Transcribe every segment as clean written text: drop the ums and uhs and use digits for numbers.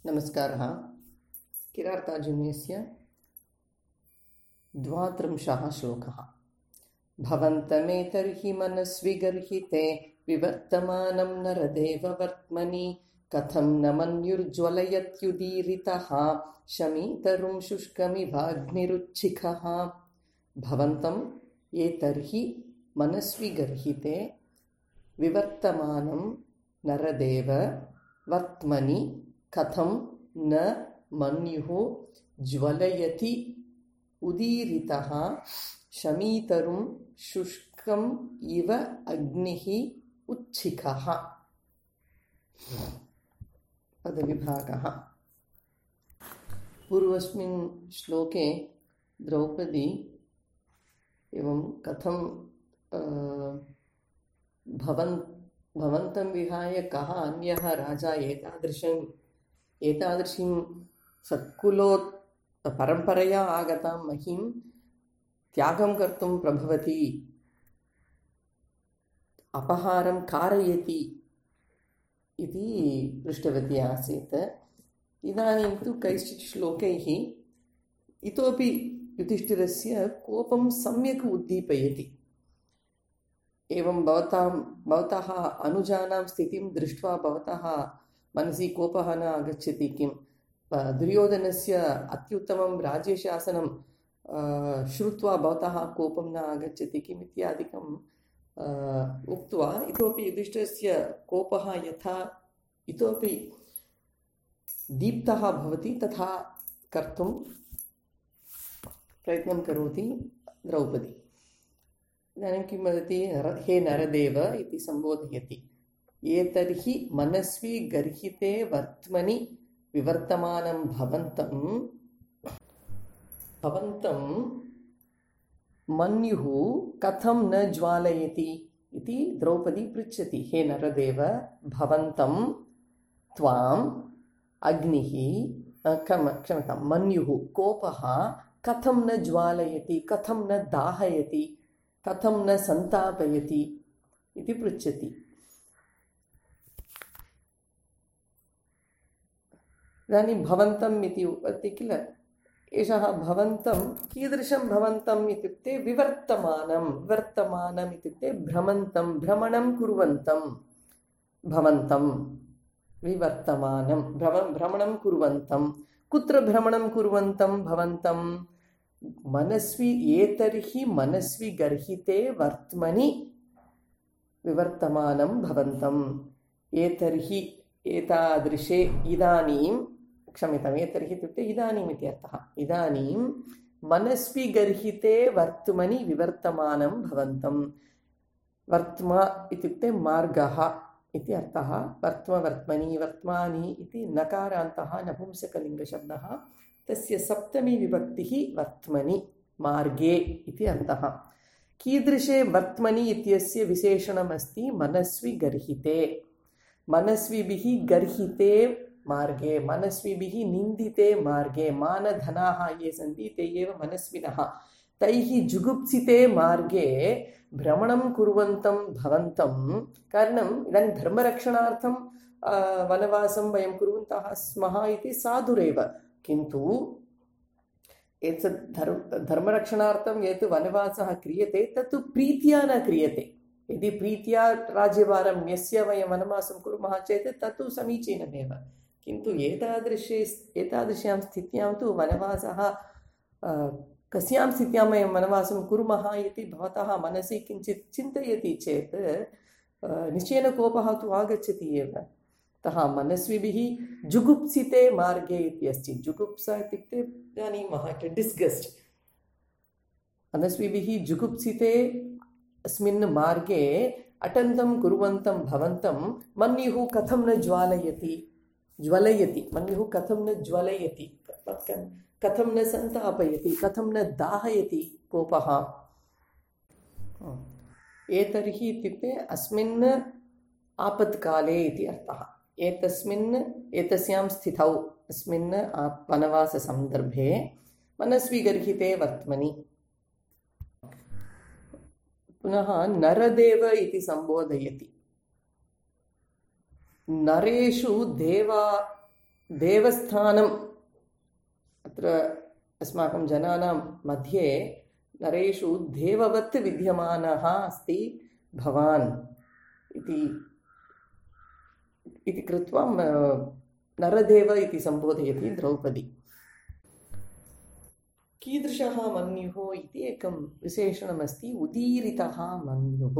नमस्कारः। किरातार्जुनीयस्य 32 श्लोकः। भवन्तमेतर्हि मनस्विगर्हिते विवर्तमानं नरदेववर्त्मनि कथं न मन्युर्ज्वलयत्युदीरितः शमीतरुं शुष्कमिवाग्निरुच्छिखः। भवन्तम् एतर्हि मनस्विगर्हिते विवर्तमानं नरदेव वर्त्मनि कथं न मन्युः ज्वलयति उदीरितः शमीतरुं शुष्कम् इव अग्निः उच्छिखः। पदविभागः। पूर्वस्मिन् श्लोके द्रौपदी एवं कथं भवन्तं विहाय कः अन्यः राजा एतादृशीं सत्कुलोत् परम्परया आगतां महीं त्यागं कर्तुं प्रभवति, अपहारं कारयति इति पृष्टवती आसीत्। इदानीं तु कैश्चित् श्लोकैः इतोपि युधिष्ठिरस्य कोपं सम्यक् उद्दीपयति। एवं भवतः अनुजानां स्थितिं दृष्ट्वा भवतः मनसि कोपः न आगच्छति किं? दुर्योधनस्य अत्युत्तमं राज्यशासनं श्रुत्वा भवतः कोपं न आगच्छति किम् इत्यादिकम् उक्त्वा इतोपि युधिष्ठिरस्य कोपः यथा इतोपि दीप्तः भवति तथा कर्तुं प्रयत्नं करोति द्रौपदी। इदानीं किं वदति? हे नरदेव इति सम्बोधयति। एतर्हि मनस्वी गर्हिते वर्त्मनि विवर्तमानं भवन्तं मन्युः कथं न ज्वालयति इति द्रौपदी पृच्छति। हे नरदेव, भवन्तं त्वाम् अग्निः क्षम्यतां मन्युः कोपः कथं न ज्वालयति, कथं न दाहयति, कथं न सन्तापयति इति पृच्छति। इदानीं भवन्तम् इति उक्ति किल? एषः भवन्तं कीदृशं भवन्तम् इत्युक्ते विवर्तमानम् इत्युक्ते भ्रमणं कुर्वन्तं भवन्तं विवर्तमानं भ्रमणं कुर्वन्तं। कुत्र भ्रमणं कुर्वन्तं भवन्तं? मनस्वी एतर्हि मनस्वी गर्हिते वर्त्मनि विवर्तमानं भवन्तम्। एतर्हि एतादृशे इदानीं क्षम्यताम् एतर्हि इत्युक्ते इदानीम् इति अर्थः। इदानीं मनस्वी गर्हिते वर्त्मनि विवर्तमानं भवन्तं। वर्त्मा इत्युक्ते मार्गः इति अर्थः। वर्त्मनि वर्त्मानि इति नकारान्तः नपुंसकलिङ्गशब्दः। तस्य सप्तमी विभक्तिः वर्त्मनि मार्गे इति अर्थः। कीदृशे वर्त्मनि इत्यस्य विशेषणमस्ति मनस्वी गर्हिते। मनस्विभिः गर्हिते मार्गे, मनस्विभिः निन्दिते मार्गे। मानधनाः ये सन्ति ते एव मनस्विनः। तैः जुगुप्सिते मार्गे भ्रमणं कुर्वन्तं भवन्तं। कारणम् इदानीं धर्मरक्षणार्थं वनवासं वयं कुर्वन्तः स्मः इति साधुरेव, किन्तु एतत् धर्मरक्षणार्थं यत् वनवासः क्रियते तत्तु प्रीत्या न क्रियते। यदि प्रीत्या राज्यभारं न्यस्य वयं वनवासं कुर्मः चेत् तत्तु समीचीनमेव, किन्तु एतादृश्यां स्थित्यां तु वनवासः कस्यां स्थित्यां वयं वनवासं कुर्मः इति भवतः मनसि किञ्चित् चिन्तयति चेत् निश्चयेन कोपः तु आगच्छति एव। अतः मनस्विभिः जुगुप्सिते मार्गे इत्यस्ति। जुगुप्सा इत्युक्ते जानीमः डिस्गस्ट्। मनस्विभिः जुगुप्सिते अस्मिन् मार्गे अटन्तं कुर्वन्तं भवन्तं मन्युः कथं न ज्वलयति मन्युः कथं न ज्वलयति, कथं न सन्तापयति, कथं न दाहयति कोपः। एतर्हि इत्युक्ते अस्मिन् आपत्काले इति अर्थः। एतस्यां स्थितौ अस्मिन् वनवाससन्दर्भे मनस्वी गर्हिते वर्त्मनि। पुनः नरदेव इति सम्बोधयति। नरेषु देवा देवस्थानम् अत्र अस्माकं जनानां मध्ये नरेषु देववत् विद्यमानः अस्ति भवान् इति कृत्वा नरदेव इति सम्बोधयति द्रौपदी। कीदृशः मन्युः इति एकं विशेषणमस्ति। उदीरितः मन्युः।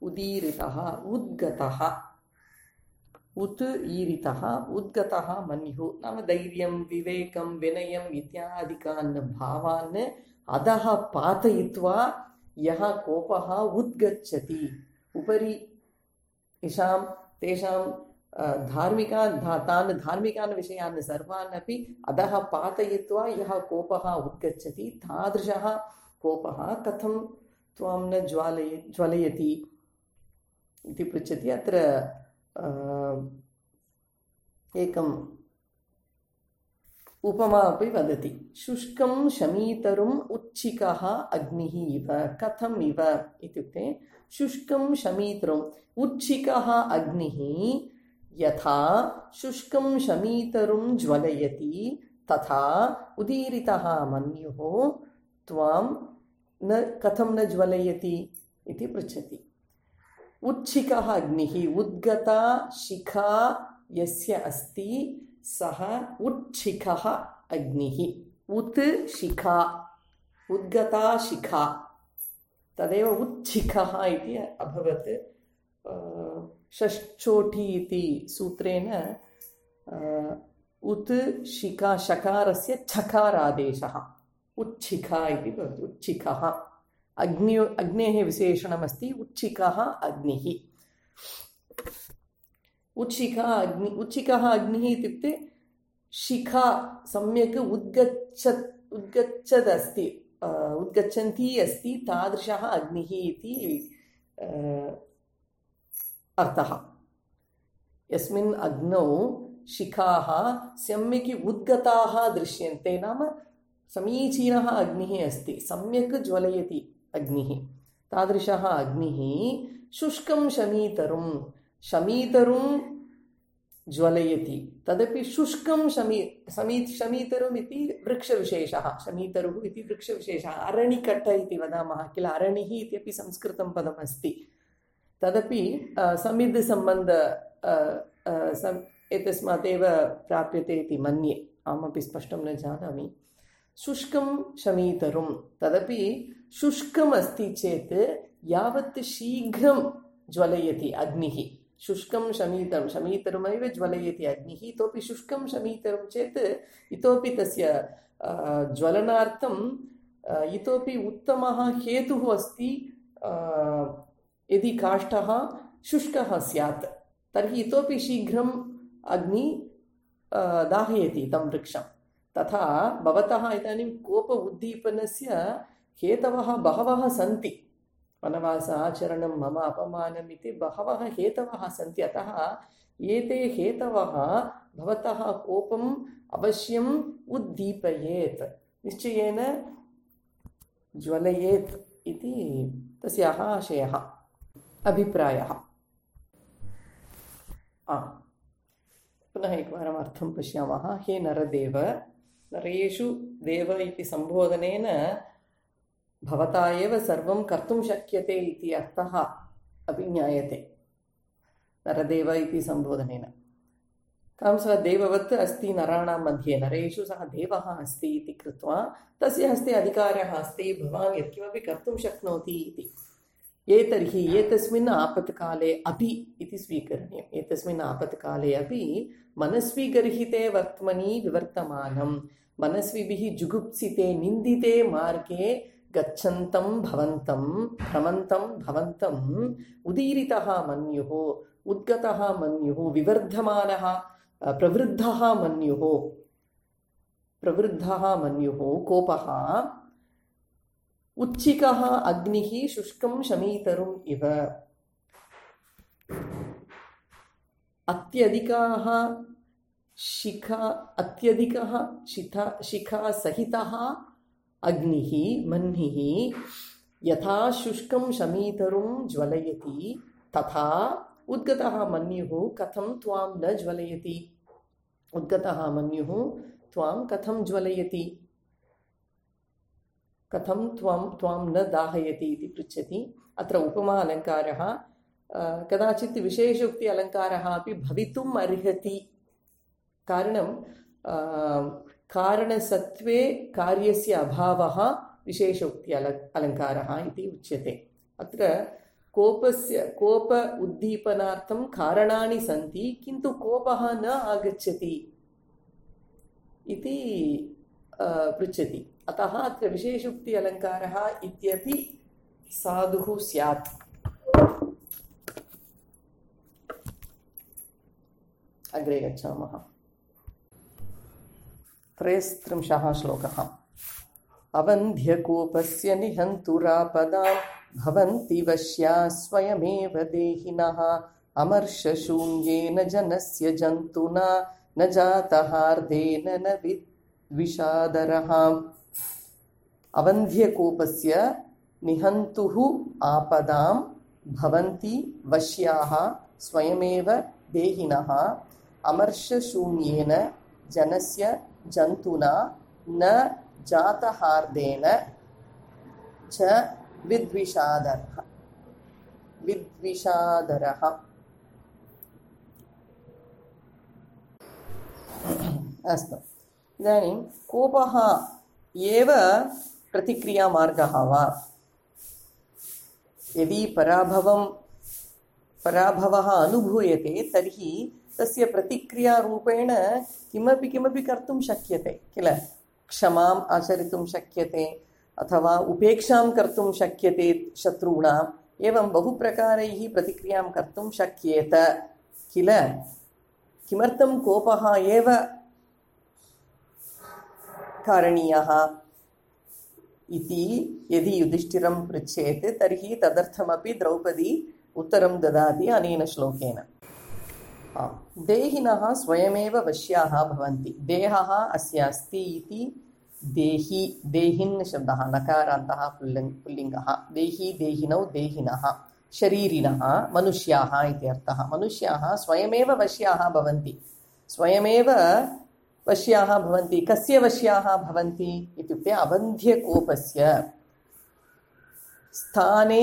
उदीरितः उद्गतः, उत् ईरितः उद्गतः मन्युः नाम धैर्यं विवेकं विनयम् इत्यादिकान् भावान् अधः पातयित्वा यः कोपः उद्गच्छति उपरि तेषां तान् धार्मिकान् विषयान् सर्वान् अपि अधः पातयित्वा यः कोपः उद्गच्छति तादृशः कोपः कथं त्वां न ज्वलयति इति पृच्छति। अत्र एकम् उपमा अपि वदति। शुष्कं शमीतरुम् उच्छिकः अग्निः इव। कथम् इव इत्युक्ते शुष्कं शमीतरुम् उच्छिकः अग्निः यथा शुष्कं शमीतरुं ज्वलयति तथा उदीरितः मन्युः त्वां न कथं न ज्वलयति इति पृच्छति। उच्छिकः अग्निः उद्गता शिखा यस्य अस्ति सः उच्छिकः अग्निः। उत् शिखा उद्गता शिखा तदेव उच्छिकः इति अभवत्। षष्ठोटी इति सूत्रेण उत् शिखा शकारस्य छकारादेशः उच्छिखा इति भवति। उच्छिकः अग्नेः विशेषणमस्ति उच्छिकः अग्निः। उच्छिकः अग्निः इत्युक्ते शिखा सम्यक् उद्गच्छन्ती अस्ति तादृशः अग्निः इति अर्थः। यस्मिन् अग्नौ शिखाः सम्यक् उद्गताः दृश्यन्ते नाम समीचीनः अग्निः अस्ति, सम्यक् ज्वलयति अग्निः। तादृशः अग्निः शुष्कं शमीतरुं ज्वलयति। तदपि शुष्कं शमीतरुम् इति वृक्षविशेषः। शमीतरुः इति वृक्षविशेषः। अरणिकट्ट इति वदामः किल, अरणिः इत्यपि संस्कृतं पदमस्ति। तदपि समिद् सम्बन्ध एतस्मादेव प्राप्यते इति मन्ये, अहमपि स्पष्टं न जानामि। शुष्कं शमीतरुं तदपि शुष्कम् अस्ति चेत् यावत् शीघ्रं ज्वलयति अग्निः। शुष्कं शमीतरुमेव ज्वलयति अग्निः। इतोपि शुष्कं शमीतरुं चेत् इतोपि तस्य ज्वलनार्थं इतोपि उत्तमः हेतुः अस्ति। यदि काष्ठः शुष्कः स्यात् तर्हि इतोपि शीघ्रम् अग्नि दाहयति तं वृक्षं। तथा भवतः इदानीं कोप उद्दीपनस्य हेतवः बहवः सन्ति। वनवासाचरणं मम अपमानम् इति बहवः हेतवः सन्ति। अतः एते हेतवः भवतः कोपम् अवश्यम् उद्दीपयेत्, निश्चयेन ज्वलयेत् इति तस्याः आशयः, अभिप्रायः। पुनः एकवारम् अर्थं पश्यामः। हे नरदेव, नरेषु देव इति सम्बोधनेन भवता एव सर्वं कर्तुं शक्यते इति अर्थः अपि ज्ञायते। नरदेव इति सम्बोधनेन तं सः देववत् अस्ति नराणां मध्ये, नरेषु सः देवः अस्ति इति कृत्वा तस्य हस्ते अधिकारः अस्ति, भवान् यत्किमपि कर्तुं शक्नोति इति। तर्हि एतस्मिन् आपत्काले अपि इति स्वीकरणीयम्। एतस्मिन् आपत्काले अपि मनस्वीगर्हिते वर्त्मनि विवर्तमानं, मनस्विभिः जुगुप्सिते निन्दिते मार्गे गच्छन्तं भ्रमन्तं भवन्तम् उदीरितः मन्युः, उद्गतः मन्युः, विवर्धमानः प्रवृद्धः मन्युः कोपः उच्छिकः अग्निः शुष्कं शमीतरुम् इव। अत्यधिकः शिखा सहितः अग्निः मन्निः यथा शुष्कं शमीतरुं ज्वलयति तथा उद्गतः मन्युः कथं त्वां न ज्वलयति। उद्गतः मन्युः त्वां कथं ज्वलयति, कथं त्वां न दाहयति इति पृच्छति। अत्र उपमा अलङ्कारः कदाचित् विशेषोक्ति अलङ्कारः अपि भवितुम् अर्हति। कारणं कारणसत्त्वे कार्यस्य अभावः विशेषोक्ति अलङ्कारः इति उच्यते। अत्र कोप उद्दीपनार्थं कारणानि सन्ति, किन्तु कोपः न आगच्छति इति पृच्छति। अतः अत्र विशेषोक्ति अलङ्कारः इत्यपि साधुः स्यात्। अग्रे गच्छामः। 33 श्लोकः। अवन्ध्यकोपस्य निहन्तुरापदां भवन्ति वश्या स्वयमेव देहिनः अमर्षशून्येन जनस्य जन्तुना न जातहार्देन न विषादरः। अवन्ध्यकोपस्य निहन्तुः आपदां भवन्ति वश्याः स्वयमेव देहिनः अमर्षशून्येन जनस्य जन्तुना न जातहार्देन च विद्विषादरः। अस्तु, इदानीं कोपः एव प्रतिक्रियामार्गः वा? यदि पराभवः अनुभूयते तर्हि तस्य प्रतिक्रियारूपेण किमपि कर्तुं शक्यते किल? क्षमाम् आचरितुं शक्यते अथवा उपेक्षां कर्तुं शक्यते शत्रूणाम्। एवं बहुप्रकारैः प्रतिक्रियां कर्तुं शक्येत किल? किमर्थं कोपः एव कारणीयः इति यदि युधिष्ठिरं पृच्छेत् तर्हि तदर्थमपि द्रौपदी उत्तरं ददाति अनेन श्लोकेन। देहिनः स्वयमेव वश्याः भवन्ति। देहः अस्य अस्ति इति देहि, देहिन् शब्दः नकारान्तः पुल्लिङ्गः। देहि, देहिनौ, देहिनः, शरीरिणः, मनुष्याः इति अर्थः। मनुष्याः स्वयमेव वश्याः भवन्ति। स्वयमेव वश्याः भवन्ति। कस्य वश्याः भवन्ति इत्युक्ते अवन्ध्यकोपस्य स्थाने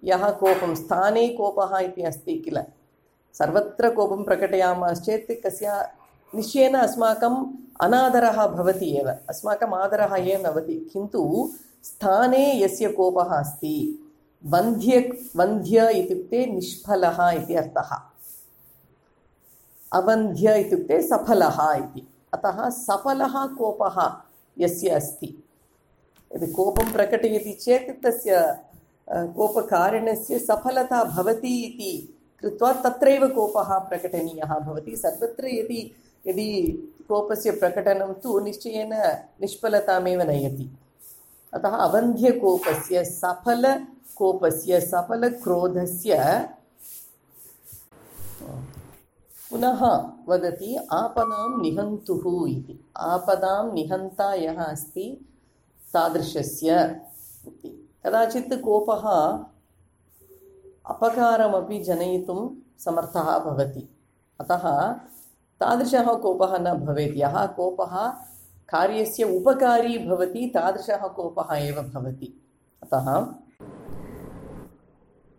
यः कोपं, स्थाने कोपः इति अस्ति किल? सर्वत्र कोपं प्रकटयामश्चेत् कस्य निश्चयेन अस्माकम् अनादरः भवति एव, अस्माकम् आदरः एव न भवति। किन्तु स्थाने यस्य कोपः अस्ति, वन्ध्य इत्युक्ते निष्फलः इति अर्थः। अवन्ध्य इत्युक्ते सफलः इति। अतः सफलः कोपः यस्य अस्ति, यदि कोपं प्रकटयति चेत् तस्य कोपकारणस्य सफलता भवति इति कृत्वा तत्रैव कोपः प्रकटनीयः भवति। सर्वत्र यदि कोपस्य प्रकटनं तु निश्चयेन निष्फलतामेव नयति। अतः अवन्ध्यकोपस्य, सफलकोपस्य, सफलक्रोधस्य पुनः वदति आपदां निहन्तुः इति। आपदां निहन्ता यः अस्ति तादृशस्य इति। कदाचित् कोपः अपकारमपि जनयितुं समर्थः भवति। अतः तादृशः कोपः न भवेत्। यः कोपः कार्यस्य उपकारी भवति तादृशः कोपः एव भवति। अतः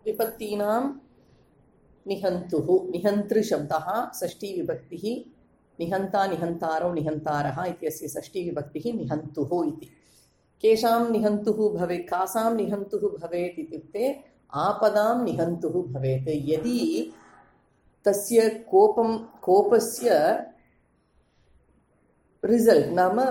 विभक्तीनां निहन्तुः, निहन्तृशब्दः षष्ठीविभक्तिः, निहन्ता, निहन्तारौ, निहन्तारः इत्यस्य षष्ठीविभक्तिः निहन्तुः इति। केषां निहन्तुः भवेत्, कासां निहन्तुः भवेत् इत्युक्ते आपदां निहन्तुः भवेत्। यदि तस्य कोपस्य रिजल्ट् नाम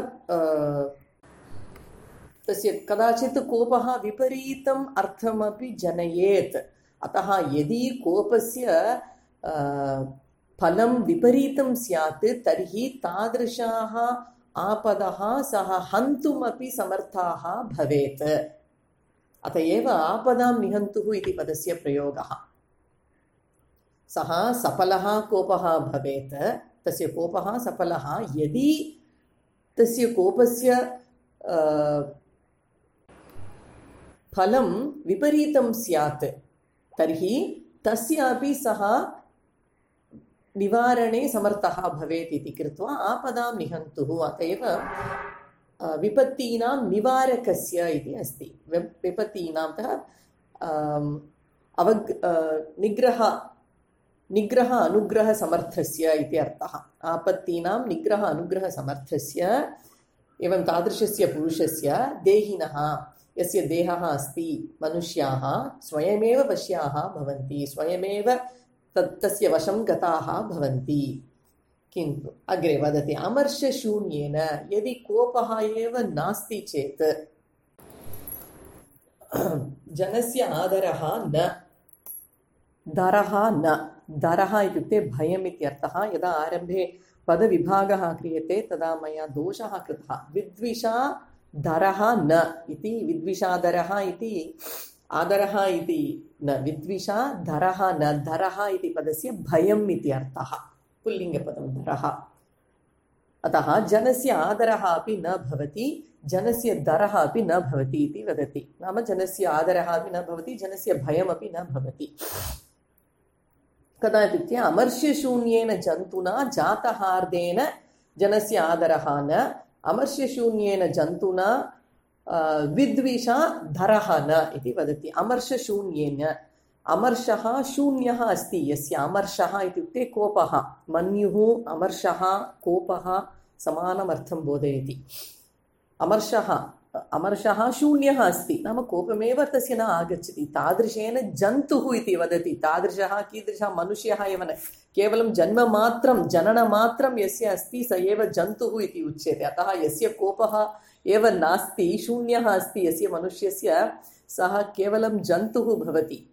तस्य कदाचित् कोपः विपरीतम् अर्थमपि जनयेत्। अतः यदि कोपस्य फलं विपरीतं स्यात् तर्हि तादृशाः आपदः सः हन्तुमपि समर्थाः भवेत्। अत एव आपदां निहन्तुः इति पदस्य प्रयोगः। सः सफलः कोपः भवेत्, तस्य कोपः सफलः। यदि तस्य कोपस्य फलं विपरीतं स्यात् तर्हि तस्यापि सः निवारणे समर्थः भवेत् इति कृत्वा आपदां निहन्तुः। अत एव विपत्तीनां निवारकस्य इति अस्ति। विपत्तीनां निग्रह अनुग्रह समर्थस्य इति अर्थः। आपत्तीनां निग्रह अनुग्रह समर्थस्य एवं तादृशस्य पुरुषस्य देहिनः यस्य देहः अस्ति मनुष्याः स्वयमेव वश्याः भवन्ति, स्वयमेव तस्य वशं गताः भवन्ति। किन्तु अग्रे वदति अमर्षशून्येन यदि कोपः एव नास्ति चेत् जनस्य आदरः न दरः न। दरः इत्युक्ते भयम् इत्यर्थः। यदा आरम्भे पदविभागः क्रियते तदा मया दोषः कृतः। विद्विषा दरः न इति विद्विषादरः इति आदरः इति न, विद्विषा दरः न। दरः इति पदस्य भयम् इति अर्थः, पुल्लिङ्गपदं दरः। अतः जनस्य आदरः अपि न भवति, जनस्य दरः अपि न भवति इति वदति। नाम जनस्य आदरः अपि न भवति, जनस्य भयमपि न भवति। कदा इत्युक्ते अमर्ष्यशून्येन जन्तुना जातहार्देन जनस्य आदरः न, अमर्ष्यशून्येन जन्तुना विद्विषा धरः न इति वदति। अमर्षशून्येन, अमर्षः शून्यः अस्ति यस्य। अमर्षः इत्युक्ते कोपः। मन्युः अमर्षः कोपः समानमर्थं बोधयति। अमर्षः शून्यः अस्ति, नाम कोपमेव तस्य न आगच्छति। तादृशेन जन्तुः इति वदति। तादृशः कीदृशः मनुष्यः एव न, केवलं जन्ममात्रं जननमात्रं यस्य अस्ति स एव जन्तुः इति उच्यते। अतः यस्य कोपः एव नास्ति, शून्यः अस्ति यस्य मनुष्यस्य, सः केवलं जन्तुः भवति।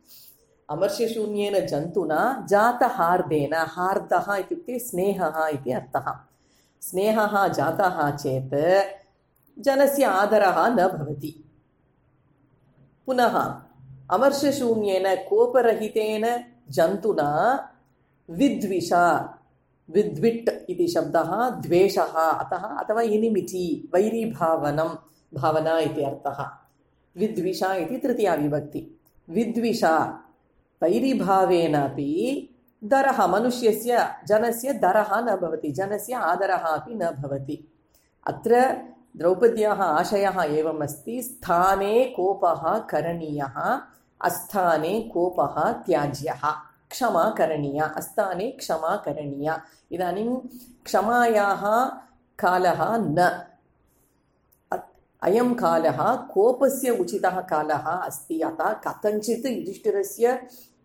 अमर्षशून्येन जन्तुना जातहार्देन, हार्दः इत्युक्ते स्नेहः इति अर्थः। स्नेहः जातः चेत् जनस्य आदरः न भवति। पुनः अमर्षशून्येन कोपरहितेन जन्तुना विद्विषा, विद्विट् इति शब्दः द्वेषः अतः अथवा एनिमिटी भावना इति अर्थः। विद्विषा इति तृतीया विभक्ति। विद्विषा वैरीभावेनापि दरः, मनुष्यस्य जनस्य दरः न भवति, जनस्य आदरः अपि न भवति। अत्र द्रौपद्याः आशयः एवम् अस्ति, स्थाने कोपः करणीयः, अस्थाने कोपः त्याज्यः। क्षमा करणीया, अस्थाने क्षमा करणीया। इदानीं क्षमायाः कालः न, अयं कालः कोपस्य उचितः कालः अस्ति। अतः कथञ्चित् युधिष्ठिरस्य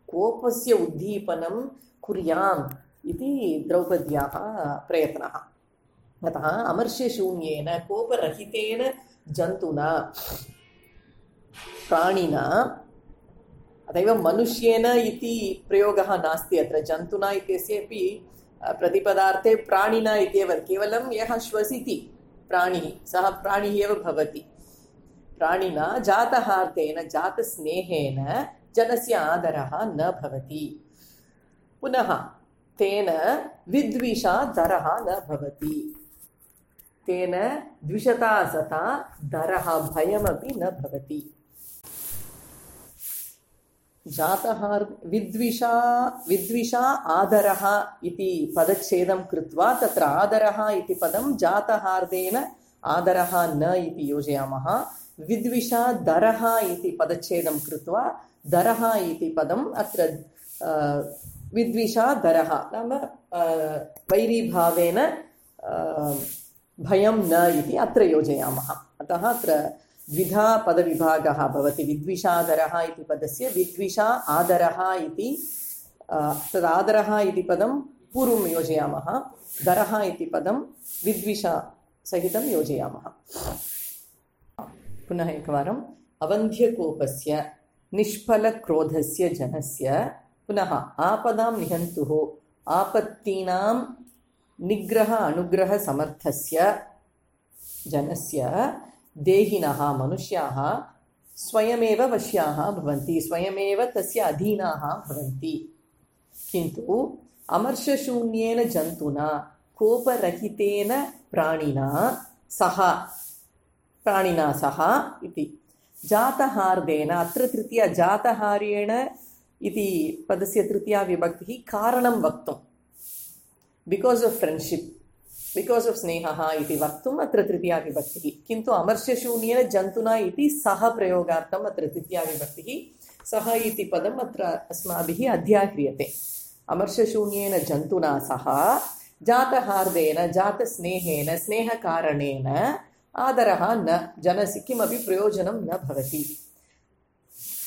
कोपस्य उद्दीपनं कुर्याम् इति द्रौपद्याः प्रयत्नः। अतः अमर्ष्यशून्येन कोपरहितेन जन्तुना प्राणिना, अतएव मनुष्येन इति प्रयोगः नास्ति अत्र। जन्तुना इत्यस्यपि प्रतिपदार्थे प्राणिना इत्येव, केवलं यः श्वसिति प्राणिः सः प्राणिः एव भवति। प्राणिना जातहार्देन, जातस्नेहेन जनस्य आदरः न भवति। पुनः तेन विद्विषा दरः न भवति। तेन द्विषता सता दरः, भयमपि न भवति। विद्विषा आदरः इति पदच्छेदं कृत्वा तत्र आदरः इति पदं जातहार्देन आदरः न इति योजयामः। विद्विषा दरः इति पदच्छेदं कृत्वा दरः इति पदम् अत्र विद्विषा दरः नाम वैरीभावेन भयं न इति अत्र योजयामः। अतः अत्र द्विधा पदविभागः भवति। विद्विषादरः इति पदस्य विद्विषा आदरः इति, तदादरः इति पदं पूर्वं योजयामः, दरः इति पदं विद्विषा सहितं योजयामः। पुनः एकवारम् अवन्ध्यकोपस्य निष्फलक्रोधस्य जनस्य, पुनः आपदां निहन्तुः आपत्तीनां निग्रह अनुग्रह समर्थस्य जनस्य देहिनः मनुष्याः स्वयमेव वश्याः भवन्ति, स्वयमेव तस्य अधीनाः भवन्ति। किन्तु अमर्षशून्येन जन्तुना कोपरहितेन प्राणिना सह इति जातहार्देन, अत्र तृतीया जातहार्येण इति पदस्य तृतीया विभक्तिः कारणं वक्तुं, बिकास् आफ् फ्रेण्ड्शिप्, बिकास् आफ् स्नेहः इति वक्तुम् अत्र तृतीया विभक्तिः। किन्तु अमर्ष्यशून्येन जन्तुना इति सः प्रयोगार्थम् अत्र तृतीया विभक्तिः। सः इति पदम् अत्र अस्माभिः अध्याह्रियते। अमर्ष्यशून्येन जन्तुना सह जातहार्देन जातस्नेहेन स्नेहकारणेन आदरः न जनसि किमपि प्रयोजनं न भवति।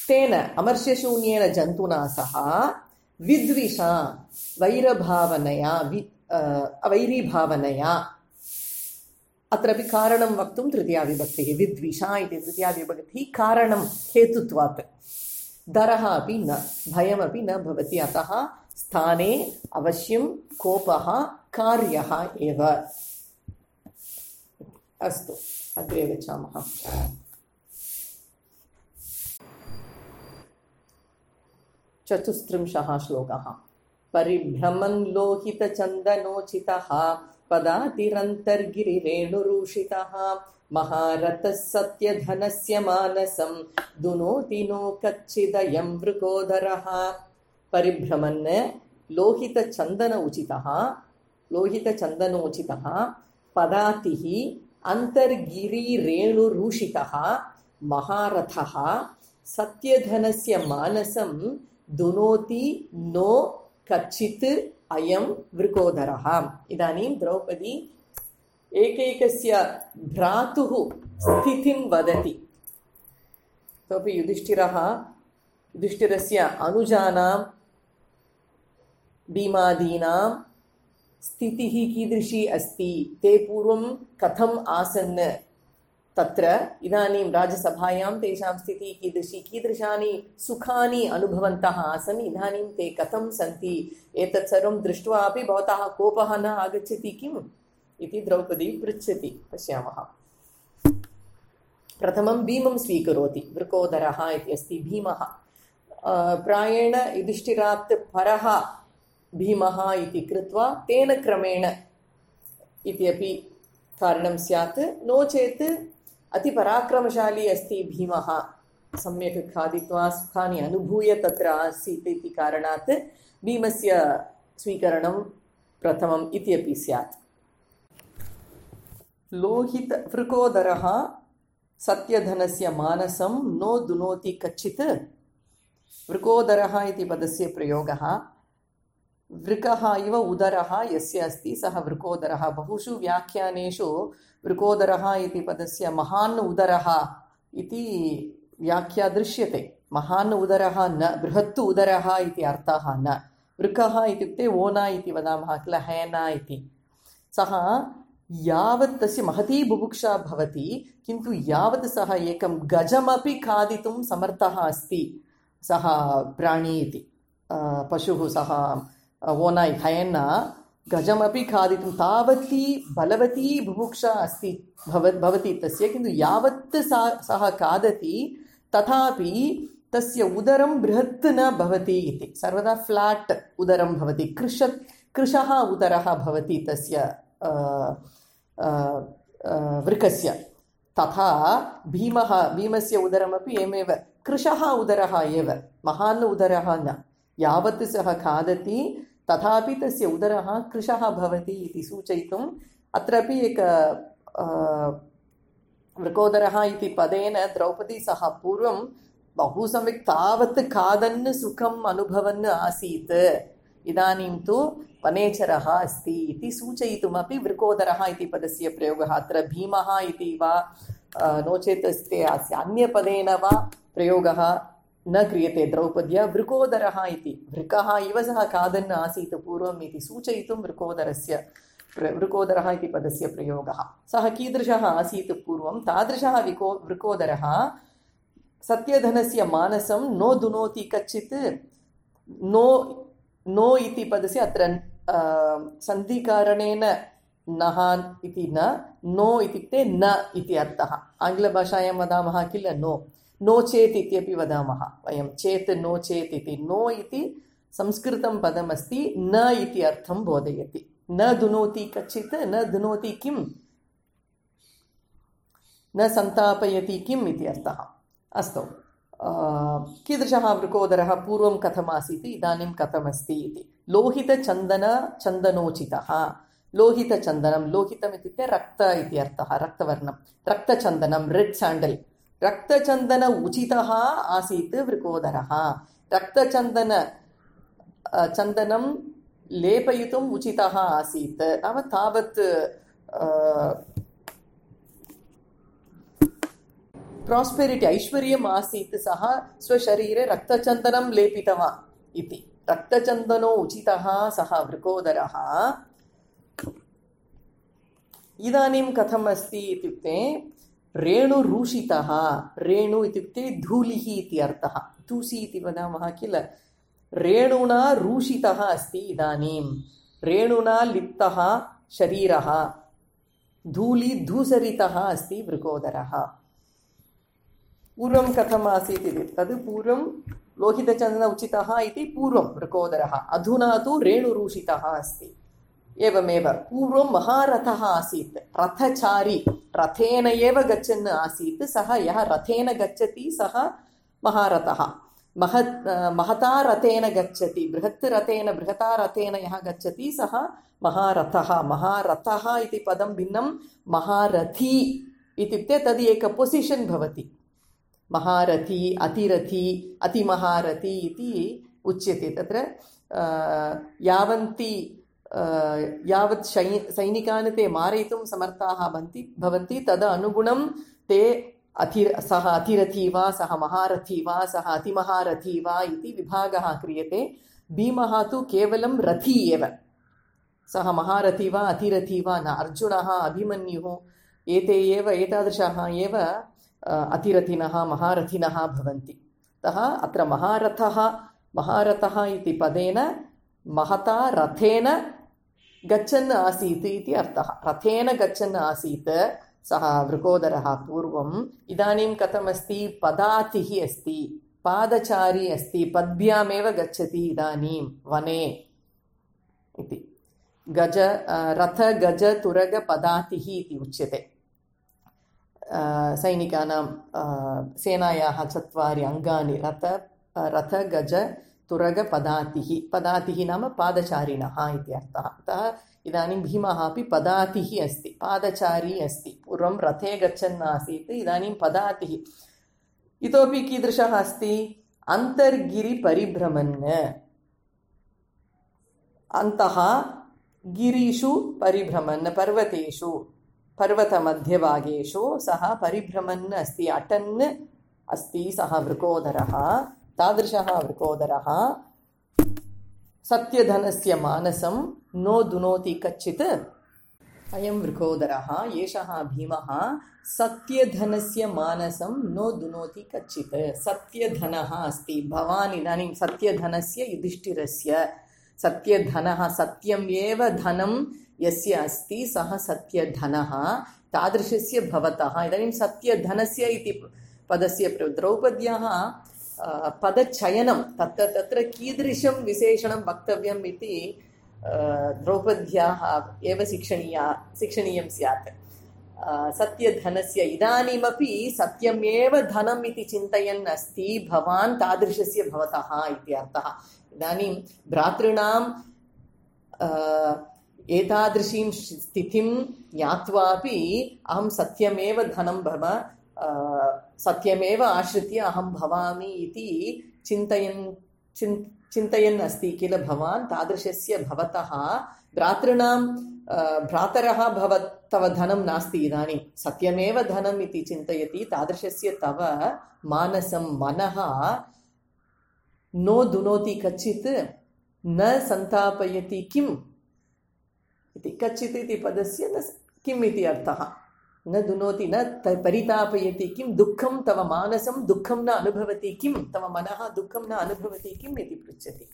तेन अमर्ष्यशून्येन जन्तुना सह विद्विषा वैरभावनया वैरीभावनया, अत्रापि कारणं वक्तुं तृतीया विभक्तिः। विद्विषा इति तृतीया विभक्तिः कारणं हेतुत्वात्। दरः अपि न, भयमपि न भवति। अतः स्थाने अवश्यं कोपः कार्यः एव। अस्तु, अग्रे गच्छामः। चतुस्त्रिंशः श्लोकः। परिभ्रमन् लोहितचन्दनोचितः पदातिरन्तर्गिरिरेणुरूषितः महारथः सत्यधनस्य मानसं दुनोति नो कच्चिदयं वृकोदरः। परिभ्रमन् लोहितचन्दनोचितः पदातिः अन्तर्गिरिरेणुरूषितः महारथः सत्यधनस्य मानसं दुनोति नो कच्चित् अयं वृकोदरः। इदानीं द्रौपदी एकैकस्य भ्रातुः स्थितिं वदति। तोपि युधिष्ठिरस्य अनुजानां भीमादीनां स्थितिः कीदृशी अस्ति, ते पूर्वं कथम् आसन् तत्र, इदानीं राजसभायां तेषां स्थितिः कीदृशी, कीदृशानि सुखानि अनुभवन्तः आसन्, इदानीं ते कथं सन्ति, एतत् सर्वं दृष्ट्वा अपि भवतः कोपः न आगच्छति किम् इति द्रौपदी पृच्छति। पश्यामः। प्रथमं भीमं स्वीकरोति। वृकोदरः इति अस्ति भीमः। प्रायेण युधिष्ठिरात् परः भीमः इति कृत्वा तेन क्रमेण इति अपि कारणं स्यात्। नो चेत् अतिपराक्रमशाली अस्ति भीमः, सम्यक् खादित्वा सुखानि अनुभूय तत्र आसीत् इति कारणात् भीमस्य स्वीकरणं प्रथमम् इति अपि स्यात्। वृकोदरः सत्यधनस्य मानसं नो दुनोति कच्चित्। वृकोदरः इति पदस्य प्रयोगः वृकः इव उदरः यस्य अस्ति सः वृकोदरः। बहुषु व्याख्यानेषु वृकोदरः इति पदस्य महान् उदरः इति व्याख्या दृश्यते। महान् उदरः न, बृहत् उदरः इति अर्थः न। वृकः इत्युक्ते ओना इति वदामः किल, हैना इति। सः यावत् तस्य महती बुभुक्षा भवति, किन्तु यावत् सः एकं गजमपि खादितुं समर्थः अस्ति, सः प्राणी इति पशुः, सः ओनाई हैना गजमपि खादितुं तावती बलवती बुभुक्षा अस्ति भवति तस्य। किन्तु यावत् सः खादति तथापि तस्य उदरं बृहत् न भवति इति। सर्वदा फ्लाट् उदरं भवति, कृशः उदरः भवति तस्य वृकस्य। तथा भीमस्य उदरमपि एवमेव कृशः उदरः एव, महान् उदरः न। यावत् सः खादति तथापि तस्य उदरः कृशः भवति इति सूचयितुम् अत्रापि एक वृकोदरः इति पदेन द्रौपदी सः पूर्वं बहु सम्यक् तावत् खादन् सुखम् अनुभवन् आसीत्, इदानीं तु वनेचरः अस्ति इति सूचयितुमपि वृकोदरः इति पदस्य प्रयोगः। अत्र भीमः इति वा नो चेत् अस्य अन्यपदेन वा प्रयोगः न क्रियते द्रौपद्या। वृकोदरः इति वृकः इव सः खादन् आसीत् पूर्वम् इति सूचयितुं वृकोदरः इति पदस्य प्रयोगः। सः कीदृशः आसीत् पूर्वं, तादृशः वृकोदरः सत्यधनस्य मानसं नो दुनोति कच्चित्। नो इति पदस्य अत्र सन्धिकारणेन नः इति न, नो इत्युक्ते न इति अर्थः। आङ्ग्लभाषायां वदामः किल नो चेत् इत्यपि वदामः वयं, चेत् नो चेत् इति। नो इति संस्कृतं पदमस्ति, न इति अर्थं बोधयति। न दुनोति कच्चित्, न दुनोति किम्, न सन्तापयति किम् इति अर्थः। अस्तु, कीदृशः वृकोदरः पूर्वं कथमासीत्, इदानीं कथमस्ति इति। चन्दनोचितः लोहितचन्दनं लोहितम् इत्युक्ते रक्त इति अर्थः रक्तवर्णं रक्तचन्दनं रेड् साण्डल् रक्तचन्दन उचितः आसीत् वृकोदरः चन्दनं लेपयितुम् उचितः आसीत् नाम तावत् प्रास्पेरिटी ऐश्वर्यम् आसीत् सः स्वशरीरे रक्तचन्दनं लेपितवान् इति रक्तचन्दनो उचितः सः वृकोदरः इदानीं कथम् अस्ति इत्युक्ते रेणुरूषितः रेणु इत्युक्ते धूलिः इति अर्थः तूसी इति वदामः किल रेणुना रूषितः अस्ति इदानीं रेणुना लिप्तः शरीरः धूसरितः अस्ति वृकोदरः पूर्वं कथम् आसीत् इति तद् पूर्वं लोहितचन्दन उचितः इति पूर्वं वृकोदरः अधुना तु रेणुरूषितः अस्ति एवमेव पूर्वं महारथः आसीत् रथचारी रथेन एव गच्छन् आसीत् सः यः रथेन गच्छति सः महारथः महता रथेन गच्छति बृहता रथेन यः गच्छति सः महारथः इति पदं भिन्नं महारथी इत्युक्ते तद् एक पोसिशन् भवति महारथी अतिरथी अतिमहारथी इति उच्यते तत्र यावत् सैनिकान् ते मारयितुं समर्थाः भवन्ति तदनुगुणं ते सः अतिरथी वा सः महारथी वा सः अतिमहारथी वा इति विभागः क्रियते भीमः तु केवलं रथी एव सः महारथी वा अतिरथी वा न अर्जुनः अभिमन्युः एतादृशाः एव अतिरथिनः महारथिनः भवन्ति अतः अत्र महारथः इति पदेन महता रथेन गच्छन् आसीत् इति अर्थः रथेन गच्छन् आसीत् सः वृकोदरः पूर्वम् इदानीं कथमस्ति पदातिः अस्ति पादचारी अस्ति पद्भ्यामेव गच्छति इदानीं वने इति रथ गज तुरग पदातिः इति उच्यते सैनिकानां सेनायाः 4 अङ्गानि रथ गज तुरग पदातिः नाम पादचारिणः इति अर्थः अतः इदानीं भीमः अपि पदातिः अस्ति पादचारी अस्ति पूर्वं रथे गच्छन् आसीत् इदानीं पदातिः इतोपि कीदृशः अस्ति अन्तर्गिरिपरिभ्रमन् अन्तः गिरिषु परिभ्रमन् पर्वतेषु पर्वतमध्यभागेषु सः परिभ्रमन् अस्ति अटन् अस्ति सः वृकोदरः तादृशः वृकोदरः सत्यधनस्य मानसं नो दुनोति कच्चित् अयं वृकोदरः एषः भीमः सत्यधनस्य मानसं नो दुनोति कच्चित् सत्यधनः अस्ति भवान् इदानीं सत्यधनस्य युधिष्ठिरस्य सत्यधनः सत्यम् एव धनं यस्य अस्ति सः सत्यधनः तादृशस्य भवतः इदानीं सत्यधनस्य इति पदस्य द्रौपद्याः पदचयनं तत्र कीदृशं विशेषणं वक्तव्यम् इति द्रौपद्याः एव शिक्षणीयं स्यात् सत्यधनस्य इदानीमपि सत्यमेव धनम् इति चिन्तयन् अस्ति भवान् तादृशस्य भवतः इति अर्थः इदानीं भ्रातॄणां एतादृशीं स्थितिं ज्ञात्वापि अहं सत्यमेव धनं सत्यमेव आश्रित्य अहं भवामि इति चिन्तयन् अस्ति किल भवान् तादृशस्य भवतः भ्रातरः तव धनं नास्ति इदानीं सत्यमेव धनम् इति चिन्तयति तादृशस्य तव मानसं मनः नो दुनोति कच्चित् न सन्तापयति किम् इति कच्चित् इति पदस्य किम् इति अर्थः न दुनोति न परितापयति किं दुःखं तव मानसं दुःखं न अनुभवति किं तव मनः दुःखं न अनुभवति किम् इति पृच्छति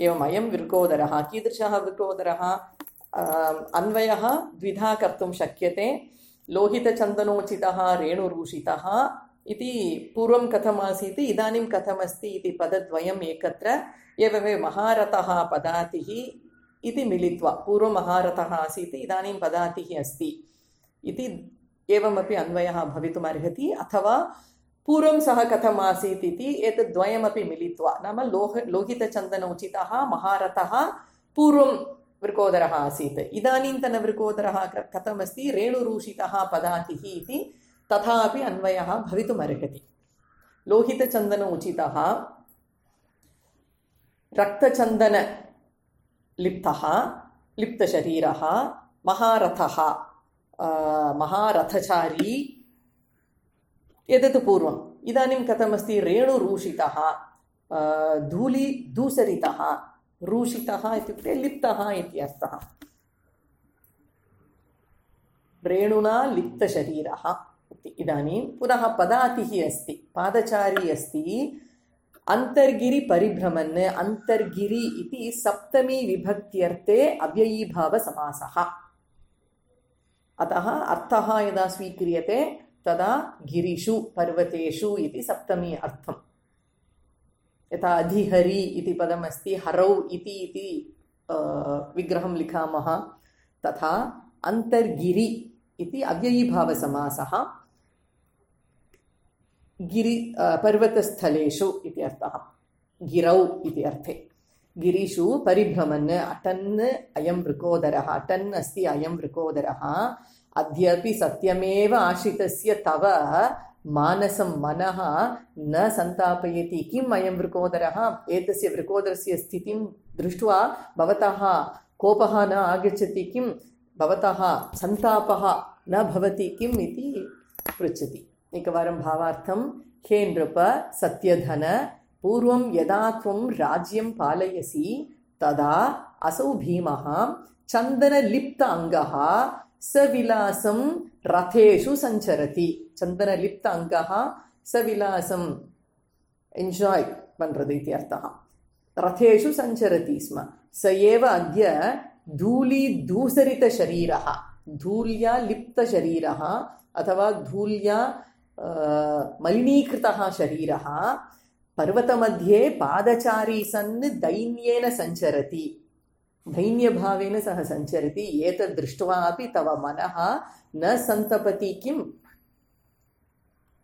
एवम् अयं वृकोदरः कीदृशः वृकोदरः अन्वयः द्विधा कर्तुं शक्यते लोहितचन्दनोचितः रेणुरूषितः इति पूर्वं कथमासीत् इदानीं कथमस्ति इति पदद्वयम् एकत्र एवमेव महारथः पदातिः इति मिलित्वा पूर्वं महारथः आसीत् इदानीं पदातिः अस्ति इति एवमपि अन्वयः भवितुमर्हति अथवा पूर्वं सः कथम् आसीत् इति एतद्द्वयमपि मिलित्वा नाम लोहितचन्दन उचितः महारथः पूर्वं वृकोदरः आसीत् इदानीन्तनवृकोदरः कथमस्ति रेणुरूषितः पदातिः इति तथापि अन्वयः भवितुमर्हति लोहितचन्दन उचितः रक्तचन्दनलिप्तः लिप्तशरीरः महारथः महारथचारी एतत् पूर्वम् इदानीं कथमस्ति रेणुरूषितः धूलिधूसरितः रूषितः इत्युक्ते लिप्तः इत्यर्थः रेणुना लिप्तशरीरः इदानीं पुनः पदातिः अस्ति पादचारी अस्ति अन्तर्गिरिपरिभ्रमन् अन्तर्गिरि इति सप्तमी विभक्त्यर्थे अव्ययीभावसमासः अतः अर्थः यदा स्वीक्रियते तदा गिरिषु पर्वतेषु इति सप्तमी अर्थम् यथा अधिहरि इति पदमस्ति हरौ इति विग्रहं लिखामः तथा अन्तर्गिरि इति अव्ययीभावसमासः गिरि पर्वतस्थलेषु इति अर्थः गिरौ इति अर्थे गिरिषु परिभ्रमन् अटन् अयं वृकोदरः अटन् अस्ति अयं वृकोदरः अद्यापि सत्यमेव आश्रितस्य तव मानसं मनः न सन्तापयति किम् अयं वृकोदरः एतस्य वृकोदरस्य स्थितिं दृष्ट्वा भवतः कोपः न आगच्छति किं भवतः सन्तापः न भवति किम् इति पृच्छति एकवारं भावार्थं हे नृप सत्यधन पूर्वं यदा त्वं राज्यं पालयसि तदा असौ भीमः चन्दनलिप्त अङ्गः सविलासं रथेषु सञ्चरति चन्दनलिप्त अङ्गः सविलासं एन्जाय् पण्றது इति अर्थः रथेषु सञ्चरति स्म स एव अद्य धूलिधूसरितशरीरः धूल्या लिप्तशरीरः अथवा धूल्या मलिनीकृतः शरीरः पर्वतमध्ये पादचारी सन् दैन्येन सञ्चरति दैन्यभावेन सः सञ्चरति एतद् दृष्ट्वा अपि तव मनः न सन्तपति किम्